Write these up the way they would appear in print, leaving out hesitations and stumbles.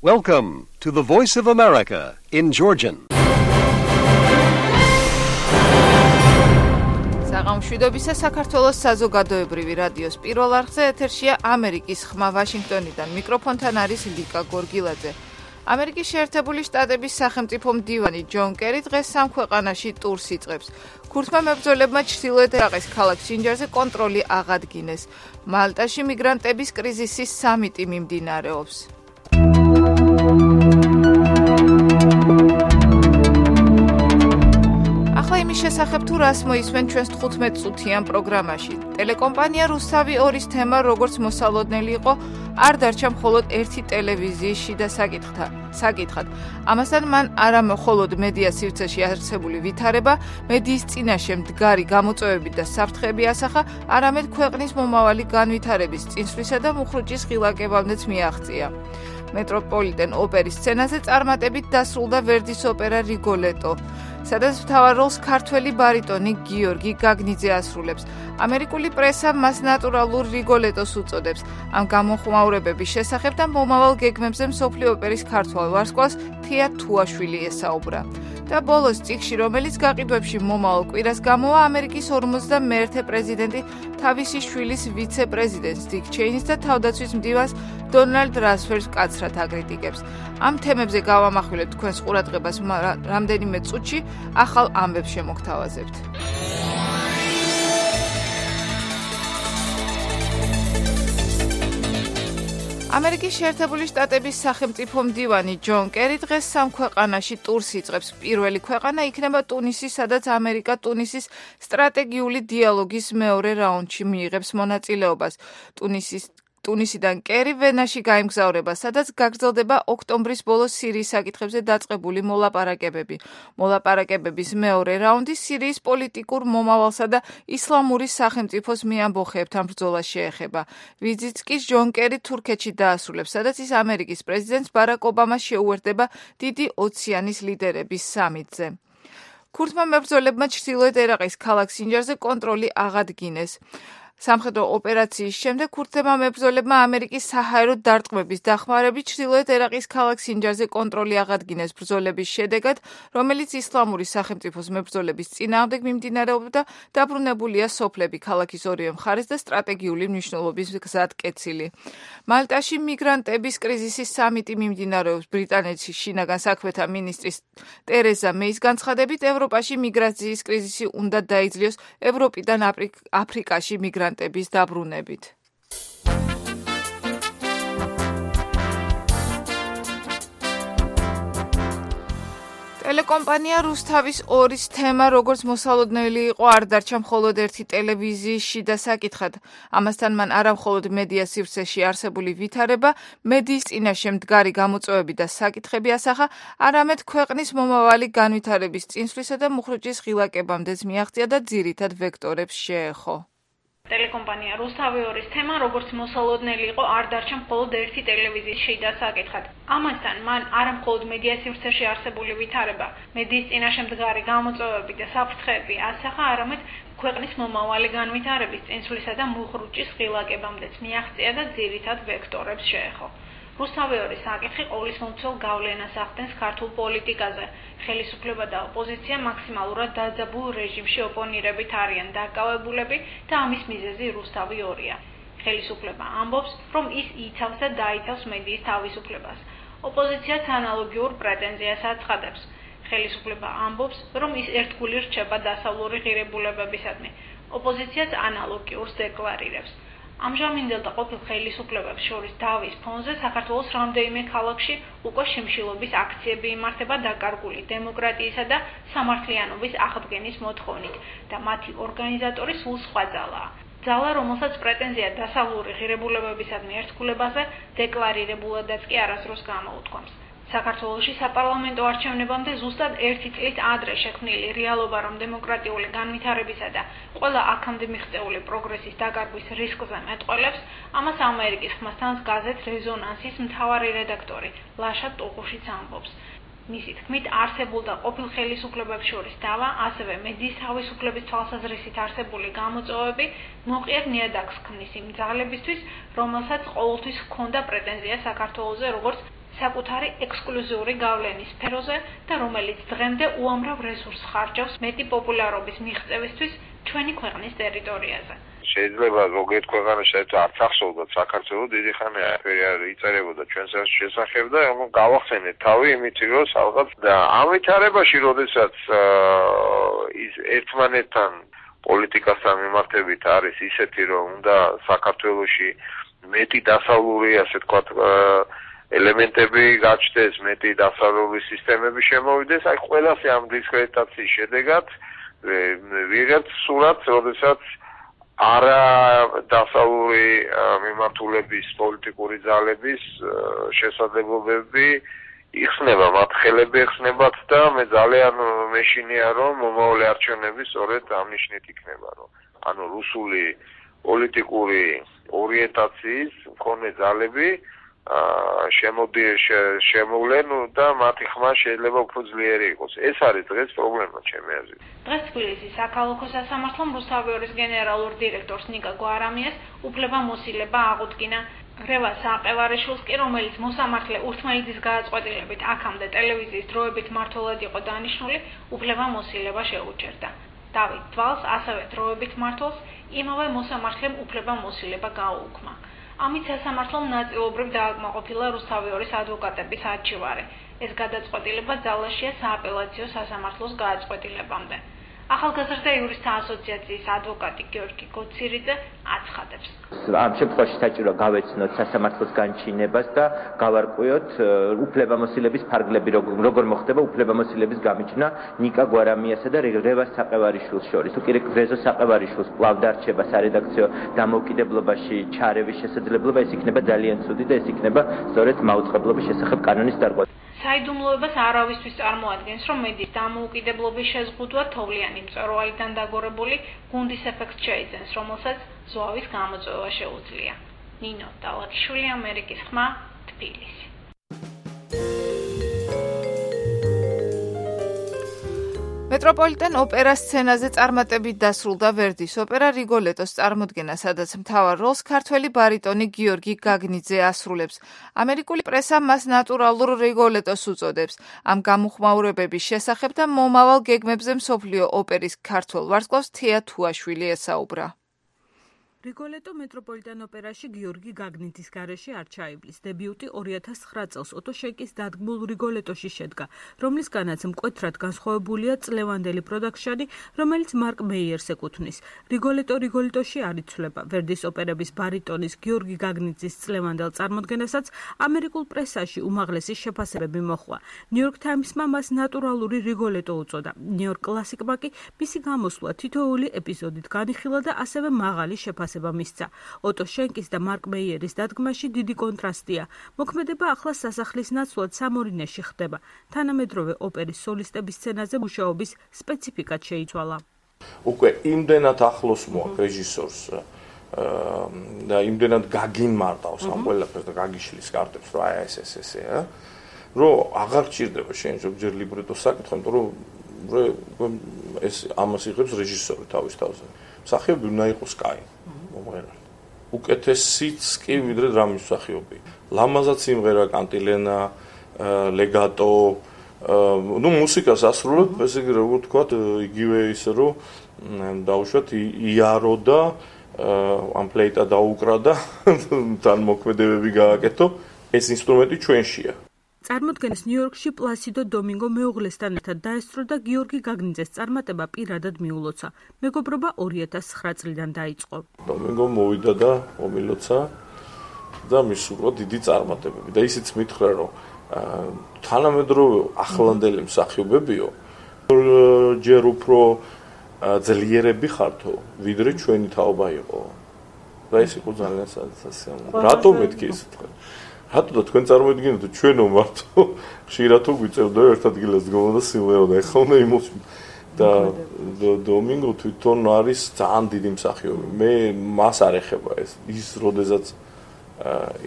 Welcome to the Voice of America in Georgian. საღამოშვიდობისა საქართველოს საზოგადოებრივი რადიოს პირველ არხზე ეთერშია ამერიკის ხმა ვაშინგტონიდან. მიკროფონთან არის ლიკა გორგილაძე. ამერიკის შეერთებული შტატების სახელმწიფო მდივანი ჯონ კერი დღეს სამ ქვეყანაში ტურს იწყებს. ქურთმა მებრძოლებმა ჩრდილოეთ ერაყის ქალაქ სინჯარზე კონტროლი აღადგინეს. მალტაში მიგრანტების კრიზისის სამიტი მიმდინარეობს. ახლა იმის შესახებ თუ რას მოისმენ ჩვენს 15 წუთიან პროგრამაში. ტელეკომპანია რუსთავი 2-ის თემა როგორც მოსალოდნელი იყო, არ დარჩა მხოლოდ ერთი ტელევიზიის შიდა საკითხად. ამასთან მან არა მხოლოდ მედია სივრცეში არსებული ვითარება, მედიის წინაშე მდგარი გამოწვევები და საფრთხეები ასახა, არამედ ქვეყნის მომავალი განვითარების წინსვლისა და მუხრუჭის ღილაკებამდეც მიაღწია. მეტროპოლიტენ ოპერის სცენაზე წარმატებით დასრულდა ვერდის ოპერა რიგოლეტო, სადაც მთავარ როლს ქართველი ბარიტონი გიორგი გაგნიძე ასრულებს. ამერიკული პრესა მას ნატურალურ რიგოლეტოს უწოდებს. ამ გამოხმაურებების შესახებ და მომავალ გეგმებზე მსოფლიო ოპერის ქართველ ვარსკვლავს თია თუაშვილი ესაუბრა. და ბოლოს წიგნში, რომელიც გაყიდვებში მომავალ კვირას გამოვა, ამერიკის 51-ე პრეზიდენტი თავისი შვილის ვიცე-პრეზიდენტს დიკ ჩეინის და თავდაცვის მდივანს დონალდ რამსფელდს მკაცრად აკრიტიკებს. ამ თემებზე გავამახვილებთ თქვენს ყურადღებას რამდენიმე წუთში, ახალ ამბებს შემოგთავაზებთ. ამერიკის შეერთებული შტატების სახელმწიფო მდივანი ჯონ კერი დღეს სამ ქვეყანაში ტურს იწყებს. პირველი ქვეყანა იქნება ტუნისი, სადაც ამერიკა ტუნისის სტრატეგიული დიალოგის მეორე რაუნდში მიიღებს მონაწილეობას. ტუნისიდან კერი ვენაში გაემგზავრება, სადაც გაგრძელდება ოქტომბრის ბოლოს სირიის საკითხებზე დაწყებული მოლაპარაკებები. მოლაპარაკებების მეორე რაუნდი სირიის პოლიტიკურ მომავალსა და ისლამური სახელმწიფოს მეამბოხეებთან ბრძოლას შეეხება. ვიზიტს კი ჯონ კერი თურქეთში დაასრულებს, სადაც ის ამერიკის პრეზიდენტს ბარაკ ობამას შეუერთდება დიდი ოციანის ლიდერების სამიტზე. ქურთმა მებრძოლებმა ჩრდილოეთ ერაყის ქალაქ სინჯარზე კონტროლი აღადგინეს. სამხედრო ოპერაციის შემდეგ ქურთებმა მებრძოლებმა ამერიკის საჰაერო დარტყმების დახმარებით ჩრდილოეთ ერაყის ქალაქ სინჯარზე კონტროლი აღადგინეს ბრძოლების შედეგად, რომელიც ისლამური სახელმწიფოს მებრძოლების წინააღმდეგ მიმდინარეობდა. დაბრუნებულია სოფლები, ქალაქის ორივე მხარეს და სტრატეგიული მნიშვნელობის გზატკეცილი. მალტაში მიგრანტების კრიზისის სამიტი მიმდინარეობს. ბრიტანეთში შინაგან საქმეთა მინისტრის ტერეზა მეის განცხადებით, ევროპაში მიგრაციის კრიზისი უნდა დაიძლიოს ევროპიდან აფრიკაში მიგრანტების დაბრუნებით. ტელეკომპანია რუსთავის 2-ის თემა როგორც მოსალოდნელი იყო, არ დარჩა მხოლოდ ერთი ტელევიზიის შიდა საკითხად. ამასთან მან არა მხოლოდ მედია სივრცეში არსებული ვითარება, მედიის წინაშე მდგარი გამოწვევები და საკითხები ასახა, არამედ ქვეყნის მომავალი განვითარების წინსვლისა და მუხრუჭის ღილაკებამდეც მიაღწია და ძირითად ვექტორებს შეეხო. ტელეკომპანია რუსთავი 2-ის თემა როგორც მოსალოდნელი იყო, არ დარჩა მხოლოდ ერთი ტელევიზიის შიდა საკითხად. ამასთან მან არა მხოლოდ მედია სივრცეში არსებული ვითარება, მედიის წინაშე მდგარი გამოწვევები და საფრთხეები ასახა, არამედ ქვეყნის მომავალი განვითარების წინსვლისა და მუხრუჭის ღილაკებამდეც მიაღწია და ძირითად ვექტორებს შეეხო. რუსთავი 2-ის საკითხი ყოვლისმომცველ გავლენას ახდენს ქართულ პოლიტიკაზე. ხელისუფლება და ოპოზიცია მაქსიმალურად დაძაბულ რეჟიმში ოპონირებით არიან დაკავებულები და ამის მიზეზი რუსთავი 2-ია. ხელისუფლება ამბობს, რომ ის იცავს და დაიცავს მედიის თავისუფლებას. ოპოზიციაც ანალოგიურ პრეტენზიას აცხადებს. ხელისუფლება ამბობს, რომ ის ერთგული რჩება დასავლური ღირებულებებისადმი. ოპოზიციაც ანალოგიურს დეკლარირებს. ამჟამინდელ და ყოფილ ხელისუფლებებს შორის დავის ფონზე საქართველოს რამდენიმე ქალაქში უკვე შიმშილობის აქციები იმართება დაკარგული დემოკრატიისა და სამართლიანობის აღდგენის მოთხოვნით და მათი ორგანიზატორი სულ სხვა ძალაა. ძალა, რომელსაც პრეტენზია დასავლური ღირებულებებისადმი ერთგულებაზე დეკლარირებულადაც კი არასდროს გამოუთქვამს. საქართველოში საპარლამენტო არჩევნებამდე ზუსტად 1 წლით ადრე შექმნილი რეალობა, რომ დემოკრატიული განვითარებისა და ყველა აქამდე მიღწეული პროგრესის დაკარგვის რისკზე მეტყველებს, ამას ამერიკის ხმასთან გაზეთ რეზონანსის მთავარი რედაქტორი ლაშა ტუყუშიც ამბობს. მისი თქმით, არსებულ და ყოფილ ხელისუფლებებს შორის დავა, ასევე მედიის თავისუფლების თვალსაზრისით არსებული გამოწვევები მოყიერ ნიადაგს ქმნის იმ ძალებისთვის, რომელსაც ყოველთვის ჰქონდა პრეტენზია საქართველოზე, როგორც საკუთარი ექსკლუზიური გავლენის სფეროზე და რომელიც დღემდე უამრავ რესურსს ხარჯავს მეტი პოპულარობის მიღწევისთვის ჩვენი ქვეყნის ტერიტორიაზე. შეიძლება ზოგიერთ ქვეყანაში საერთოდ არც ახსოვდათ საქართველოს დიდი ხანი არ იწერებოდა ჩვენს შესახებ და გავახსენეთ თავი იმით რომ სადღაც და ამ ვითარებაში როდესაც ის ერთმანეთთან პოლიტიკასთან მიმართებით არის ისეთი რომ უნდა საქართველოში მეტი დასავლური ასე თქვათ ელემენტები გაჩნდეს, მეტი დასავლური სისტემები შემოვიდეს, აი ყველასე ამ დისკრედიტაციის შედეგად ვიღებთ სურათს, როდესაც არა დასავლური მიმართულების პოლიტიკური ძალების შესაძლებლობები იხსნება, მათ ხელები ეხსნებათ და მე ძალიან მეშინია რომ მომავალი არჩევნები სწორედ ამ ნიშნით იქნება, რომ ანუ რუსული პოლიტიკური ორიენტაციის მქონე ძალები შემოვლენ და მათი ხმა შეიძლება უფრო ძლიერი იყოს. ეს არის დღეს პრობლემა ჩემი აზრით. დღეს თბილისის საქალაქო სასამართლომ რუსთავიორის გენერალურ დირექტორს ნიკა გვარამიას უფლებამოსილება აღუდგინა. რევა საყევარიშვილს კი, რომელიც მოსამართლე ურთმელეთის გადაწყვეტილებით აქამდე ტელევიზიის დროებით მმართველად იყო დანიშნული, უფლებამოსილება შეუჩერდა. დავით თვალს ასევე დროებით მმართველს იმავე მოსამართლემ უფლებამოსილება გააუქმა. ამით სასამართლომ ნაწილობრივ დააკმაყოფილა რუსთავიორის ადვოკატების არჩევარი. ეს გადაწყვეტილება ძალაშია სააპელაციო სასამართლოს გადაწყვეტილებამდე. ახალგაზრდა იურისტთა ასოციაციის ადვოკატი გიორგი გოცირიძე აცხადებს. ამ შემთხვევაში საჭირო გავეცნოთ სასამართლოს განჩინებას და გავარკვიოთ უფლებამოსილების ფარგლები, როგორ მოხდება უფლებამოსილების გამიჯვნა ნიკა გვარამიასა და რევას საყევარიშვილს შორის. თუ კი რეზო საყევარიშვილს კვლავ დარჩება სარედაქციო დამოუკიდებლობაში ჩარევის შესაძლებლობა, ეს იქნება ძალიან ცუდი და ეს იქნება სწორედ მაუწყებლობის შესახებ კანონის დარღვევა. საიდუმლოებას არავისთვის წარმოადგენს, რომ მედიის დამოუკიდებლობის შეზღუდვა თოვლიანი მწვერვალიდან დაგორებული გუნდის ეფექტს შეიძენს, რომელსაც ზვავის გამოწვევა შეუძლია. ნინო დალაკიშვილი, ამერიკის ხმა, თბილისი. მეტროპოლიტენ ოპერას სცენაზე წარმატებით დასრულდა ვერდის ოპერა რიგოლეტოს წარმოდგენა, სადაც მთავარ როლს ქართველი ბარიტონი გიორგი გაგნიძე ასრულებს. ამერიკული პრესა მას ნატურალურ რიგოლეტოს უწოდებს. ამ გამოხმაურებების შესახებ და მომავალ გეგმებზე მსოფლიო ოპერის ქართველ ვარსკვლავს თეა თუაშვილი ესაუბრა. რიგოლეტო მეტროპოლიტენ ოპერაში გიორგი გაგნიძის გარეშე არ ჩაივლის. დებიუტი 2009 წელს ოტო შენკის დადგმულ რიგოლეტოში შედგა, რომლისგანაც მკვეთრად განსხვავებულია წლევანდელი პროდაქშენი, რომელიც მარკ მეიერს ეკუთვნის. რიგოლეტოში არ იცვლება. ვერდის ოპერების ბარიტონის გიორგი გაგნიძის წლევანდელ წარმოდგენასაც ამერიკულ პრესაში უმაღლესი შეფასებები მოჰყვა. ნიუ-იორკ თაიმსმა მას ნატურალური რიგოლეტო უწოდა. ნიუ-იორკ კლასიკმა კი მისი გამოსვლა თითოეული ეპიზოდით განიხილა და ასევე მაღალი შეფასება მისცა. ოტო შენკის და მარკ მეიერის დადგმაში დიდი კონტრასტია. მოქმედება ახლა სასახლის ნაცვლად სამორინეში ხდება. თანამედროვე ოპერის სოლისტების სცენაზე მუშაობის სპეციფიკად შეიცვალა. უკვე იმდენად ახლოს მოაქვს რეჟისორს და იმდენად გაგიმარტავს ამ ყველაფერს და გაგიშლის კარტებს, რომ აი ესე, რომ აღარ გჭირდება შენ ზოგჯერ ლიბრეტოს საკითხი, იმიტომ რომ ეს ამას იღებს რეჟისორი თავის თავზე. მსახიობი უნდა იყოს კაი. მომღერალი. უკეთესიც კი ვიდრე დრამის მსახიობი. ლამაზად სიმღერა, კანტილენა, ლეგატო, მუსიკას ასრულებ, ესე იგი როგორ ვთქვათ, იგივე ისე რომ დაუშვათ იარო და ამ ფლეიტა დაუკრა და თან მოქმედებები გააკეთო, ეს ინსტრუმენტი ჩვენშია. წარმოდგენის ნიუ-იორკში პლასიდო დომინგო მეუღლესთან ერთად დაესწრო და გიორგი გაგნიძეს წარმატება პირადად მიულოცა. მეგობრობა 2009 წლიდან დაიწყო. დომინგო მოვიდა და მომილოცა და მისურვა დიდი წარმატებები. და ისიც მითხრა, რომ თანამედროვე ახლანდელი მსახიობებიო ჯერ უფრო ძლიერები ხართო, ვიდრე ჩვენი თაობა იყო. და ეს იყო ძალიან სასიამოვნო. რატომ მეთქი ეს თქვენ? რატო და თქვენ წარმოიდგინეთ ჩვენო მარტო ხშირად თუ გვიწევდა ერთ ადგილას დგომოდა სიმღეროდა, ეხლა უნდა იმოსვი და დომინგო თვითონ არის ძალიან დიდი მსახიობი. მე მას არ ეხება ეს. ის როდესაც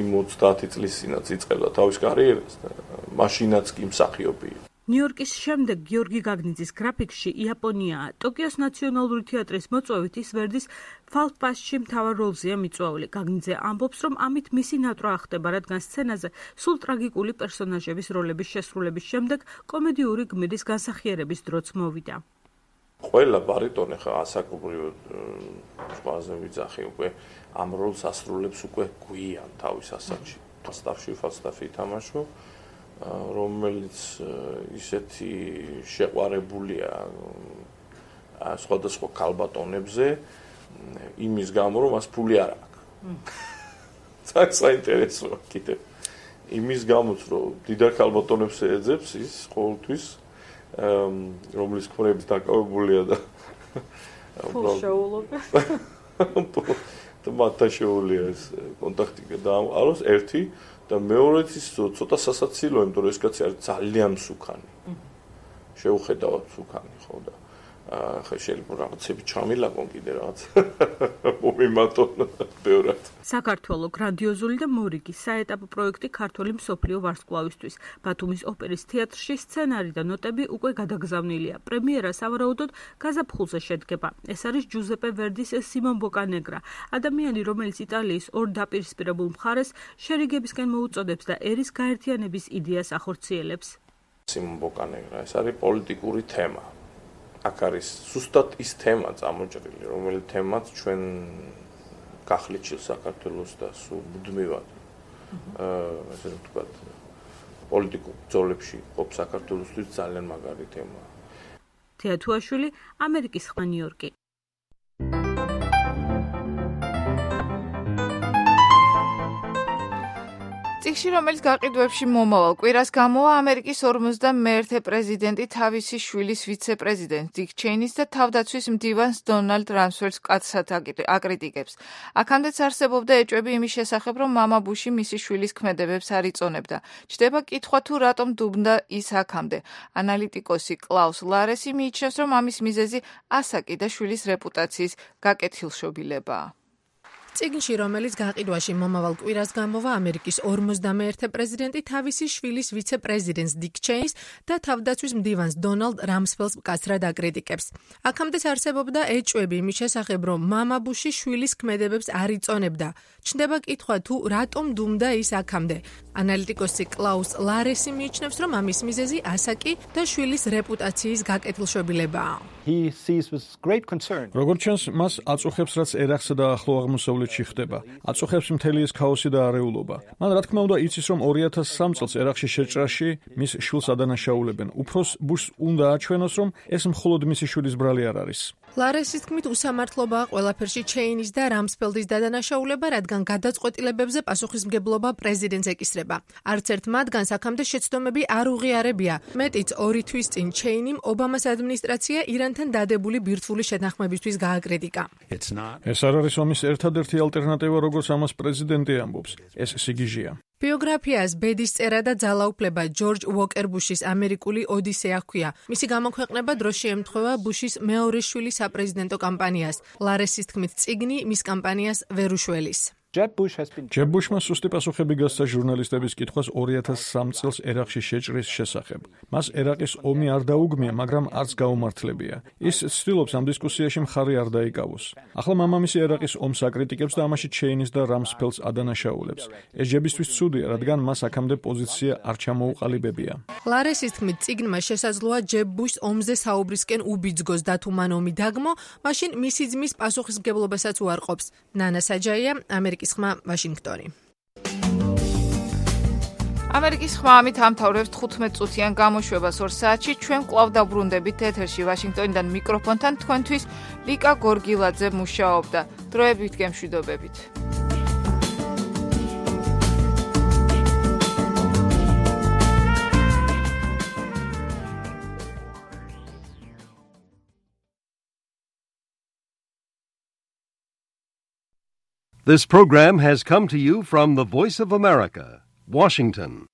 იმ 30 წლის წინაც იწყებდა თავის კარიერას და მაშინაც კი მსახიობი. ნიუ-იორკის შემდეგ გიორგი გაგნიძის გრაფიკში იაპონიაა. ტოკიოს ნაციონალური თეატრის მოწვევით ის ვერდის ფალტ-პასტში მთავარ როლზეა მიწვეული. გაგნიძე ამბობს, რომ ამით მისი ნატრა ახდება, რადგან სცენაზე სულ ტრაგიკული პერსონაჟების როლების შესრულების შემდეგ კომედიური გმირის განსახიერების დროც მოვიდა. ყველა ბარიტონი ხა ასაკობრივად ყველაზე ვიძახი უკვე ამ როლს ასრულებს უკვე გვიან თავის ასაკში. ფალსტაფი ითამაშო, რომელიც ისეთი შეყვარებულია სხვადასხვა ქალბატონებზე იმის გამო, რომ მას ფული არ აქვს. საინტერესოა კიდე. იმის გამოც, რომ დიდარ ქალბატონებს ეძებს ის ყოველთვის რომლის ქმრებით დაკავებულია და შეულობა. მათთან შეუულია ეს კონტაქტი დაამყაროს ერთი და მეორეც ის ცოტა სასაცილოა, იმიტომ რომ ეს კაცი არის ძალიან მსუქანი. შეუხედავად მსუქანი, ხო და ხა შეიძლება რაღაცები ჩამილაკონ კიდე რაღაც მომიმატონ ბევრად. საქართველოს გრანდიოზული და მორიგი საეტაპო პროექტი ქართული მსოფლიო ვარსკვლავისთვის. ბათუმის ოპერის თეატრში სცენარი და ნოტები უკვე გადაგზავნილია. პრემიერა სავარაუდოდ გაზაფხულზე შედგება. ეს არის ჯუზეპე ვერდის სიმონ ბოკანეგრა, ადამიანი, რომელიც იტალიის ორ დაპირისპირებულ მხარეს შერიგებისკენ მოუწოდებს და ერის გაერთიანების იდეას ახორციელებს. სიმონ ბოკანეგრა, ეს არის პოლიტიკური თემა. აქ არის ზუსტად ის თემა წამოჭრილი, რომელიც თემაც ჩვენ გახლეჩილ საქართველოს და სულ მუდმივად ესე ვთქვათ, პოლიტიკურ ბრძოლებში ყოფ საქართველოსთვის ძალიან მაგარი თემაა. თეათუაშვილი, ამერიკის ხმა ნიუ-იორკი. წიგნში, რომელიც გაყიდვებში მომავალ კვირას გამოვა, ამერიკის 51-ე პრეზიდენტი თავისი შვილის ვიცე-პრეზიდენტ დიკ ჩეინის და თავდაცვის მდივანს დონალდ რამსფელდს მკაცრად აკრიტიკებს. აქამდეც არსებობდა ეჭვები იმის შესახებ, რომ მამა ბუში მისი შვილის ქმედებებს არ იწონებდა. ჩდება კითხვა თუ რატომ დუბნდა ის აქამდე. ანალიტიკოსი კლაუს ლარესი მიიჩნევს, რომ ამის მიზეზი ასაკი და შვილის რეპუტაციის გაკეთილშობილებაა. წიგნში, რომელიც გაყიდვაში მომავალ კვირას გამოვა, ამერიკის 51-ე პრეზიდენტი თავისი შვილის ვიცე-პრეზიდენტს დიკ ჩეინს და თავდაცვის მდივანს დონალდ რამსფელდს მკაცრად აკრიტიკებს. აქამდეც არსებობდა ეჭვები იმის შესახებ, რომ მამა ბუში შვილის ქმედებებს არ იწონებდა. ჩნდება კითხვა თუ რატომ დუმდა ის აქამდე. ანალიტიკოსი კლაუს ლარესი მიიჩნევს, რომ ამის მიზეზი ასაკი და შვილის რეპუტაციის გაკეთილშობილებაა. როგორც ჩანს, მას აწუხებს, რაც ერახსა და ახლო აღმოსავლეთში ხდება. აწუხებს მთელი ეს ქაოსი და არეულობა. მან რა თქმა უნდა იცის, რომ 2003 წელს ერახში შეჭრაში მის შვილს ადანაშაულებენ. უფროს ბუშს უნდა აჩვენოს, რომ ეს მხოლოდ მისი შვილის ბრალი არ არის. ლარესის თქმით, უსამართლობაა ყველაფერში ჩეინის და რამსფელდის დადანაშაულება, რადგან გადაწყვეტილებებზე პასუხისმგებლობა პრეზიდენტს ეკისრება. არც ერთ მათგანს აქამდე შეცდომები არ უღიარებია. მეტიც 2 თვის წინ ჩეინიმ ობამას ადმინისტრაცია ირანთან დადებული ბირთვული შეთანხმებისთვის გააკრიტიკა. ეს არ არის ომის ერთადერთი ალტერნატივა, როგორც ამას პრეზიდენტი ამბობს. ეს სიგიჟეა. ბიოგრაფიას ბედის წერა და ძალაუფლება ჯორჯ უოკერ ბუშის ამერიკული ოდისეა ჰქვია. მისი გამოქვეყნება დროს შეემთხვევა ბუშის მეორე შვილის საპრეზიდენტო კამპანიას. ლარესის თქმით, წიგნი მის კამპანიას ვერ უშველის. ჯებ ბუშმა სუსტი პასუხები გასცა ჟურნალისტების კითხვას 2003 წელს ერაყში შეჭრის შესახებ. მას ერაყის ომი არ დაუგმია, მაგრამ არც გაუმართლებია. ის ცდილობს ამ დისკუსიაში მხარი არ დაიკავოს. ახლა მამამისი ერაყის ომს აკრიტიკებს და ამაში ჩეინის და რამსფელდს ადანაშაულებს. ეს ჯებისთვის ცუდია, რადგან მას აქამდე პოზიცია არ ჩამოუყალიბებია. ლარესის თქმით, წიგნმა შესაძლოა ჯებ ბუშს ომზე საუბრისკენ უბიძგოს და თუ მან ომი დაგმო, მაშინ მისი ძმის პასუხისმგებლობასაც უარყოფს. ნანა საჯაია, ამერიკის ხმა, ვაშინგტონი. ამერიკის ხმა ამით ამთავრებს 15 წუთიან გამოშვებას 2 საათში. ჩვენ კვლავ დაბრუნდებით ეთერში ვაშინგტონიდან მიკროფონთან თქვენთვის ლიკა გორგილაძე მუშაობდა. დროებით გემშვიდობებით. This program has come to you from the Voice of America, Washington.